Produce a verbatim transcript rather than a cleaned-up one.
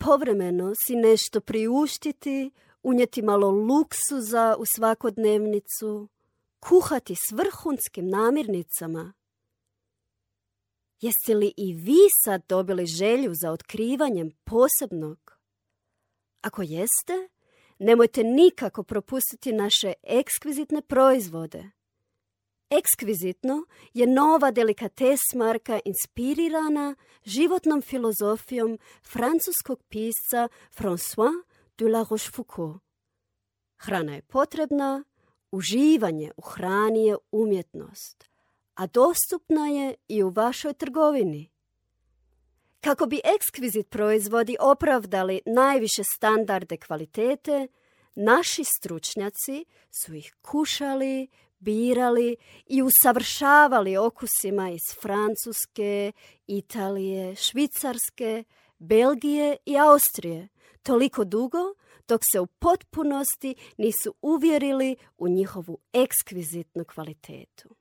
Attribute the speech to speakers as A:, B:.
A: povremeno si nešto priuštiti, unijeti malo luksuza u svakodnevnicu, kuhati s vrhunskim namirnicama. Jeste li i vi sad dobili želju za otkrivanjem posebnog? Ako jeste, nemojte nikako propustiti naše ekskvizitne proizvode. Ekskvizitno je nova delikates marka inspirirana životnom filozofijom francuskog pisca François de la Rochefoucauld. Hrana je potrebna, uživanje u hrani je umjetnost, a dostupna je i u vašoj trgovini. Kako bi ekskvizit proizvodi opravdali najviše standarde kvalitete, naši stručnjaci su ih kušali, birali i usavršavali okusima iz Francuske, Italije, Švicarske, Belgije i Austrije, toliko dugo dok se u potpunosti nisu uvjerili u njihovu ekskvizitnu kvalitetu.